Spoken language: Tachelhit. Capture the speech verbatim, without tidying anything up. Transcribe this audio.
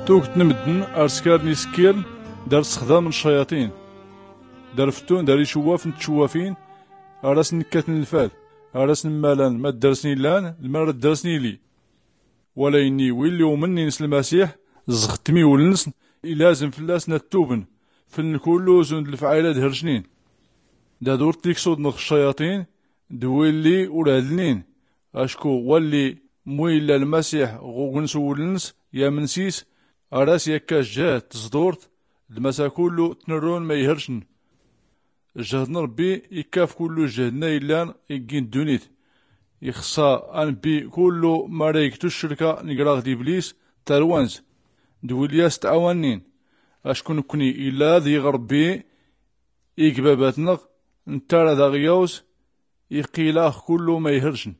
Tugt n-mddn ar-skarn iskirn dar-sxdamn ccayaṭin, dar-fttun dar-icwwafn d-tcwwafin, ar-asn-kkatn lfal, ar-asn-mmalan ma-ddrsn-illan lmar-ddrsn-ili. Wala inni willi umnnin s-lmasiḥ, zɣ-tmiwlnsn, ilazm fllasn ad-tubn fln-kullu zund lfɛayla d-hrsnin, dad-ur-tt-iksudnɣ ccayaṭin d-willi ur-adlnin. Acku walli mwilla lmasiḥ ɣ-ugns-wlns, yamn s-is, ar-as-yakka jjhd tẓḍurt d-masa kullu tnrrun ma-ihrsn. Jjhd n-rbbi ikkaf kullu jjhd-nna illan iggi n-ddunit. Ixṣa anbbi kullu mara igtu ccrika n-graɣ d-iblis tarwanz d-willi as-tɛawannin. Acku nkni illa ad-iɣ-rbbi ig-babatnɣ, nttara daɣ yawz iqqil-aɣ kullu ma-ihrsn.